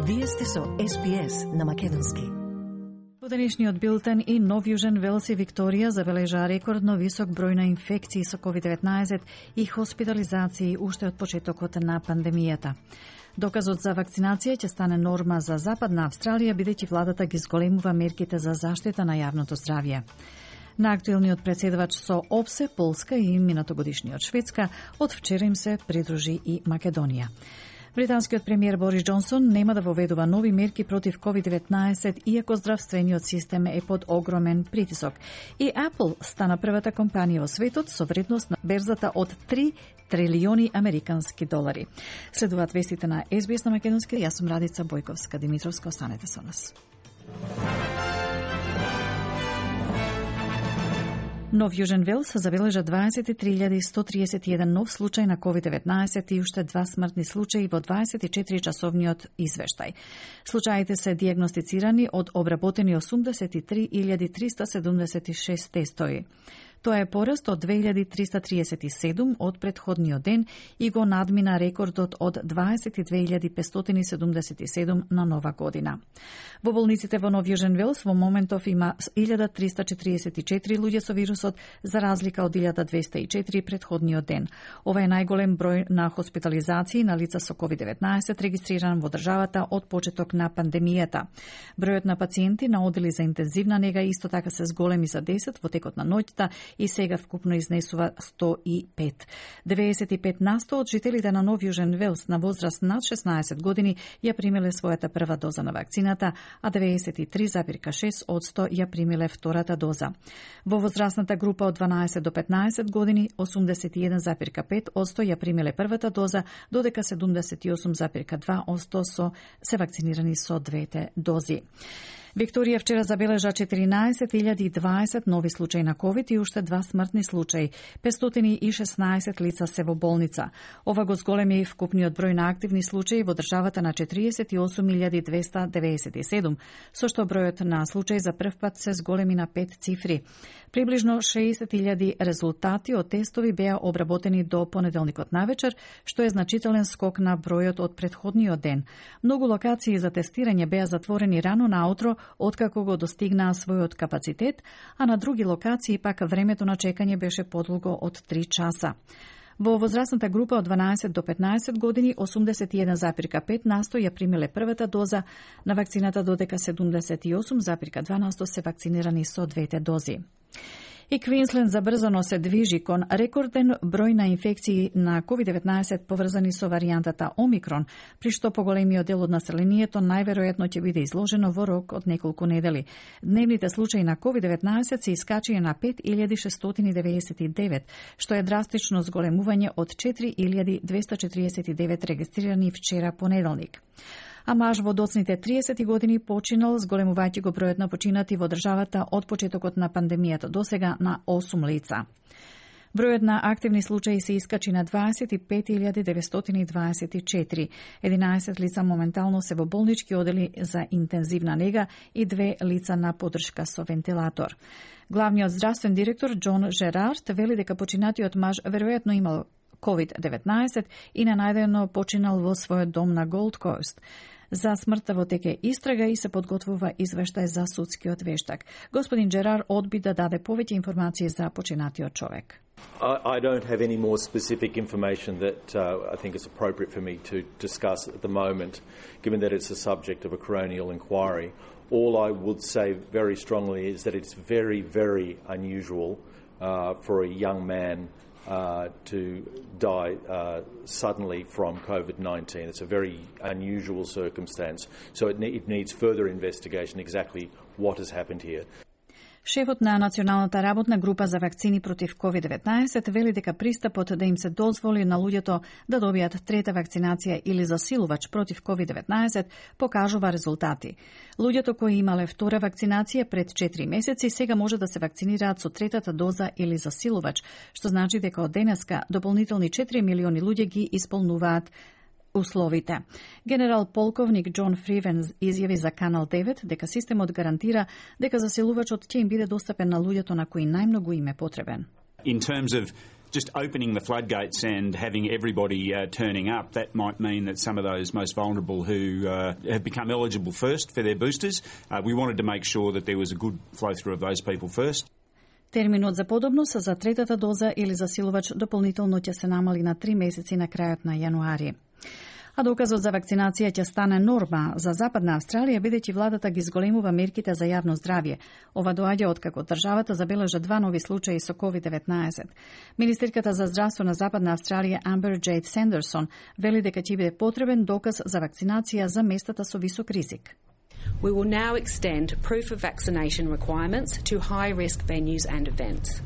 Вие сте со SBS на македонски. Во денешниот билтен и Нов Јужен Велс и Викторија забележаа рекордно висок број на инфекции со COVID-19 и хоспитализации уште од почетокот на пандемијата. Доказот за вакцинација ќе стане норма за Западна Австралија, бидејќи владата ги зголемува мерките за заштита на јавното здравје. На актуелниот претседавач со ОПСЕ, Полска и минатогодишниот Шведска, од вчера им се придружи и Македонија. Британскиот премиер Борис Џонсон нема да воведува нови мерки против COVID-19, иако здравствениот систем е под огромен притисок. И Apple стана првата компанија во светот со вредност на берзата од 3 трилиони американски долари. Следуваат вестите на SBS на македонски. Јас сум Радица Бојковска-Димитровска. Останете со нас. Нов Јужен Велс забележа 23.131 нов случај на COVID-19 и уште 2 смртни случаи во 24-часовниот извештај. Случаите се диагностицирани од обработени 83.376 тестови. Тоа е пораст од 2337 од претходниот ден и го надмина рекордот од 22.577 на нова година. Во болниците во Нов Јужен Велс во моментов има 1344 луѓе со вирусот, за разлика од 1204 претходниот ден. Ова е најголем број на хоспитализации на лица со COVID-19 регистриран во државата од почеток на пандемијата. Бројот на пациенти на одели за интензивна нега исто така се зголеми за 10 во текот на ноќта и сега вкупно изнесува 105. 95% од жителите на Нов Јужен Велс на возраст над 16 години ја примиле својата прва доза на вакцината, а 93,6% ја примиле втората доза. Во возрастната група од 12 до 15 години 81,5% ја примиле првата доза, додека 78,2% се вакцинирани со двете дози. Викторија вчера забележа 14.020 нови случаи на COVID и уште 2 смртни случаи. 516 лица се во болница. Ова го зголеми вкупниот број на активни случаи во државата на 48.297, со што бројот на случаи за прв пат се зголеми на 5 цифри. Приближно 60.000 резултати од тестови беа обработени до понеделникот навечер, што е значителен скок на бројот од претходниот ден. Многу локации за тестирање беа затворени рано наутро, откако го достигнаа својот капацитет, а на други локации пак времето на чекање беше подолго од 3 часа. Во возрастната група од 12 до 15 години 81,5% ја примиле првата доза на вакцината, додека 78,2% се вакцинирани со двете дози. И Квинсленд забрзано се движи кон рекорден број на инфекции на COVID-19 поврзани со варијантата Омикрон, при што поголемиот дел од населението најверојатно ќе биде изложено во рок од неколку недели. Дневните случаи на COVID-19 се искачија на 5.699, што е драстично зголемување од 4.249 регистрирани вчера понеделник. А маж во доцните 30 години починал, зголемувајќи го бројот на починати во државата од почетокот на пандемијата досега на 8 лица. Бројот на активни случаи се искачи на 25.924. 11 лица моментално се во болнички одели за интензивна нега и 2 лица на поддршка со вентилатор. Главниот здравствен директор Џон Жерард вели дека починатиот маж веројатно имал COVID-19 и ненајдено починал во својот дом на Голд Кост. За смртта во теке истрага и се подготвува извештај за судскиот вештак. Господин Джерар одби да даде повеќе информации за починатиот човек. I don't have any more specific information that I think is appropriate for me to discuss at the moment, given that it's a subject of a coronial inquiry. All I would say very strongly is that it's very, very unusual for a young man to die suddenly from COVID-19. It's a very unusual circumstance, so it needs further investigation exactly what has happened here. Шефот на Националната работна група за вакцини против COVID-19 вели дека пристапот да им се дозволи на луѓето да добијат трета вакцинација или засилувач против COVID-19 покажува резултати. Луѓето кои имале втора вакцинација пред 4 месеци сега може да се вакцинираат со третата доза или засилувач, што значи дека од денеска дополнителни 4 милиони луѓе ги исполнуваат условите. Генерал полковник Џон Фривен изјави за Канал 9 дека системот гарантира дека засилувачот ќе им биде достапен на луѓето на кои најмногу им е потребен. In terms of Just opening the floodgates and having everybody turning up, that might mean that some of those most vulnerable who have become eligible first for their boosters, we wanted to make sure that there was a good flow through of those people first. Терминот за подобност за третата доза или засилувач дополнително ќе се намали на 3 месеци на крајот на јануари. А доказот за вакцинација ќе стане норма за Западна Австралија, бидејќи владата ги зголемува мерките за јавно здравје. Ова доаѓа откако државата забележа 2 нови случаи со COVID-19. Министерката за здравство на Западна Австралија Амбер Джейд Сандерсон вели дека ќе биде потребен доказ за вакцинација за местата со висок ризик. We will now extend proof of vaccination requirements to high-risk venues and events.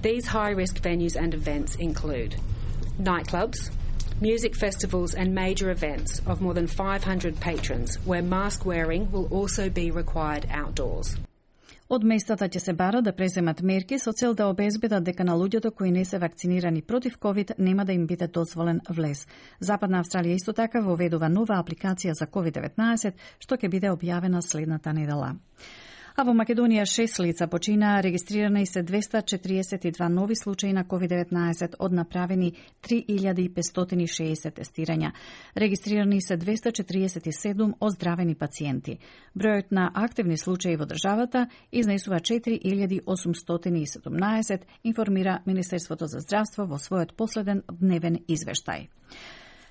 These high-risk venues and events include nightclubs, music festivals and major events of more than 500 patrons, where mask wearing will also be required outdoors. Од местата ќе се бара да преземат мерки со цел да обезбедат дека на луѓето кои не се вакцинирани против COVID нема да им биде дозволен влез. Западна Австралија исто така воведува нова апликација за COVID-19, што ќе биде објавена следната недела. А во Македонија 6 лица починаа, регистрирани се 242 нови случаи на COVID-19 од направени 3560 тестирања. Регистрирани се 247 оздравени пациенти. Бројот на активни случаи во државата изнесува 4817, информира Министерството за здравство во својот последен дневен извештај.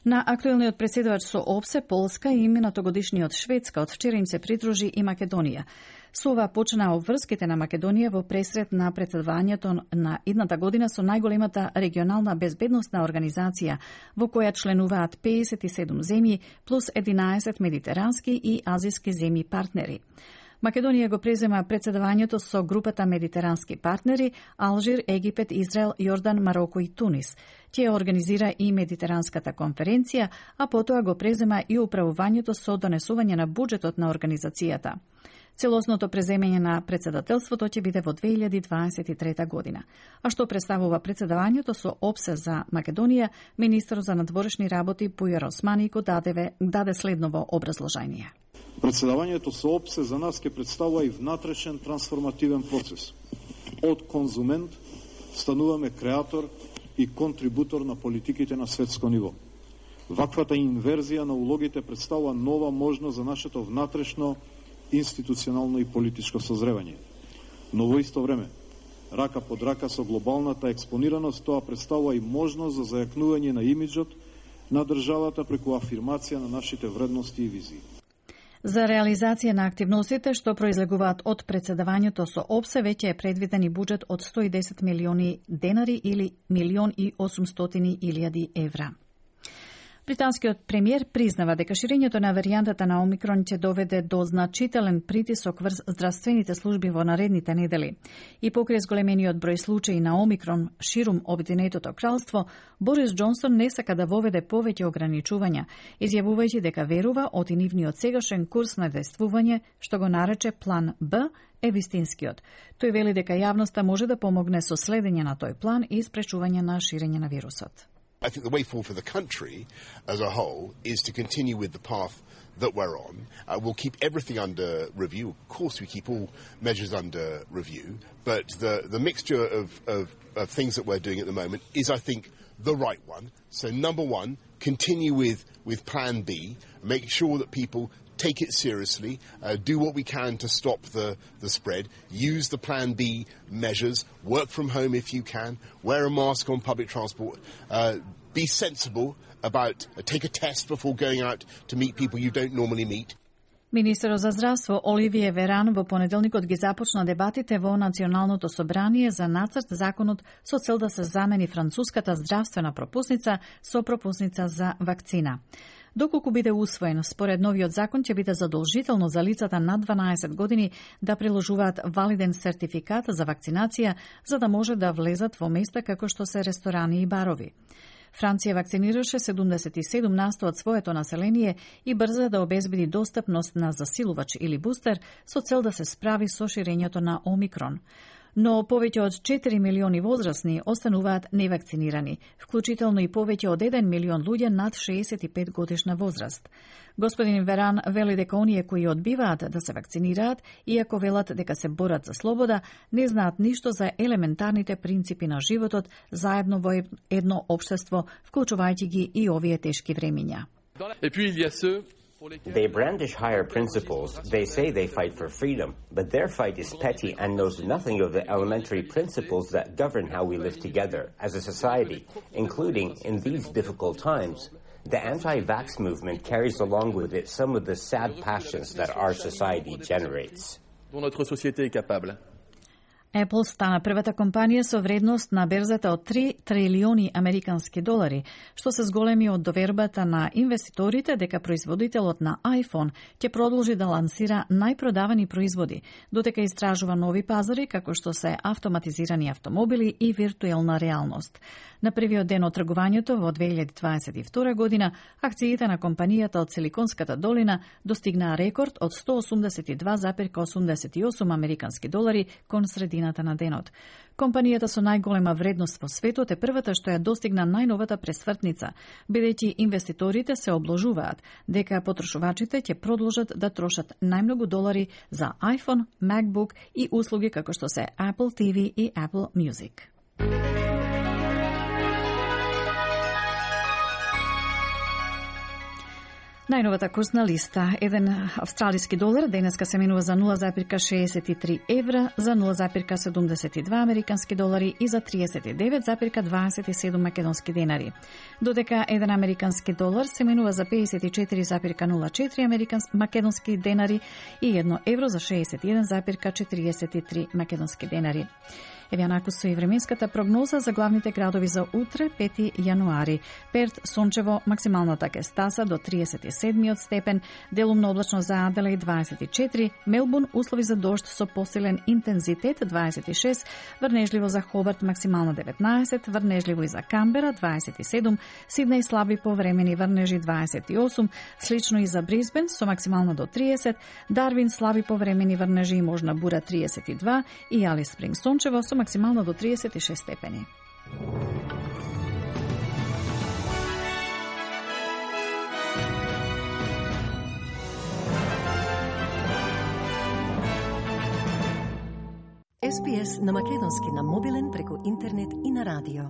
На актуелниот преседавач со ОПСЕ, Полска и минатогодишниот Шведска од вчера им се придружи и Македонија. Со ова почнаа обврските на Македонија во пресред на председавањето на идната година со најголемата регионална безбедносна организација, во која членуваат 57 земји плюс 11 медитерански и азиски земји партнери. Македонија го презема председавањето со групата медитерански партнери Алжир, Египет, Израел, Јордан, Мароко и Тунис. Тие организира и медитеранската конференција, а потоа го презема и управувањето со донесување на буџетот на организацијата. Целосното преземање на председателството ќе биде во 2023 година. А што представува председавањето со ОПСЕ за Македонија, министер за надворешни работи Пујар Османико даде следново образложение. Председавањето со ОПСЕ за нас ќе представува и внатрешен трансформативен процес. Од конзумент стануваме креатор и контрибутор на политиките на светско ниво. Ваквата инверзија на улогите представува нова можност за нашето внатрешно институционално и политичко созревање. Но во исто време, рака под рака со глобалната експонираност, тоа представува и можност за зајакнување на имиджот на државата преку афирмација на нашите вредности и визии. За реализација на активностите што произлегуваат од председавањето со ОПСЕ веќе е предвиден и буџет од 110 милиони денари или 1.800.000 евра. Британскиот премиер признава дека ширењето на варијантата на Омикрон ќе доведе до значителен притисок врз здравствените служби во наредните недели. И покрај зголемениот број случаи на Омикрон ширум Обединетото кралство, Борис Џонсон не сака да воведе повеќе ограничувања, изјавувајќи дека верува од и нивниот сегашен курс на действување, што го нарече план Б, е вистинскиот. Тој вели дека јавноста може да помогне со следење на тој план и спречување на ширење на вирусот. I think the way forward for the country as a whole is to continue with the path that we're on. We'll keep everything under review. Of course, we keep all measures under review. But the mixture of things that we're doing at the moment is, I think, the right one. So, number one, continue with Plan B, make sure that people take it seriously, do what we can to stop the spread, use the Plan B measures, work from home if you can, wear a mask on public transport, be sensible about, take a test before going out to meet people you don't normally meet. Министерот за здравство Оливие Веран во понеделникот ги започна дебатите во Националното собрание за нацрт законот со цел да се замени француската здравствена пропусница со пропусница за вакцина. Доколку биде усвоен, според новиот закон ќе биде задолжително за лицата над 12 години да приложуваат валиден сертификат за вакцинација за да може да влезат во места како што се ресторани и барови. Франција вакцинираше 77% од своето население и брза да обезбеди достапност на засилувач или бустер со цел да се справи со ширењето на Омикрон. но повеќе од 4 милиони возрастни остануваат невакцинирани, вклучително и повеќе од 1 милион луѓе над 65 годишна возраст. Господин Веран вели дека оние кои одбиваат да се вакцинираат, иако велат дека се борат за слобода, не знаат ништо за елементарните принципи на животот заедно во едно општество, вклучувајќи ги и овие тешки времиња. They brandish higher principles. They say they fight for freedom, but their fight is petty and knows nothing of the elementary principles that govern how we live together as a society, including in these difficult times. The anti-vax movement carries along with it some of the sad passions that our society generates. Apple стана првата компанија со вредност на берзата од 3 трилиони американски долари, што се зголеми од довербата на инвеститорите дека производителот на iPhone ќе продолжи да лансира најпродавани производи, додека истражува нови пазари како што се автоматизирани автомобили и виртуелна реалност. На првиот ден од тргувањето во 2022 година, акциите на компанијата од Силиконската долина достигнаа рекорд од 182,88 американски долари кон средината на денот. Компанијата со најголема вредност во светот е првата што ја достигна најновата пресвртница, бидејќи инвеститорите се обложуваат дека потрошувачите ќе продолжат да трошат најмногу долари за iPhone, MacBook и услуги како што се Apple TV и Apple Music. Најновата курсна листа. Еден австралиски долар денеска се менува за 0,63 евра, за 0,72 американски долари и за 39,27 македонски денари. Додека еден американски долар се менува за 54,04 македонски денари и 1 евро за 61,43 македонски денари. Еве онаку со и временската прогноза за главните градови за утре, 5 јануари. Перт сончево, максималната ќе стаса до 37 степен, делумно облачно за Аделаид 24, Мелбурн услови за дожд со посилен интензитет 26, врнежливо за Хобарт максимално 19, врнежливо и за Камбера 27, Сиднеј слаби повремени врнежи 28, слично и за Брисбен со максимално до 30, Дарвин слаби повремени врнежи и можна бура 32 и Алис Спринг сончево со максимално до 36 степени. SPS на македонски на мобилен преку интернет и на радио.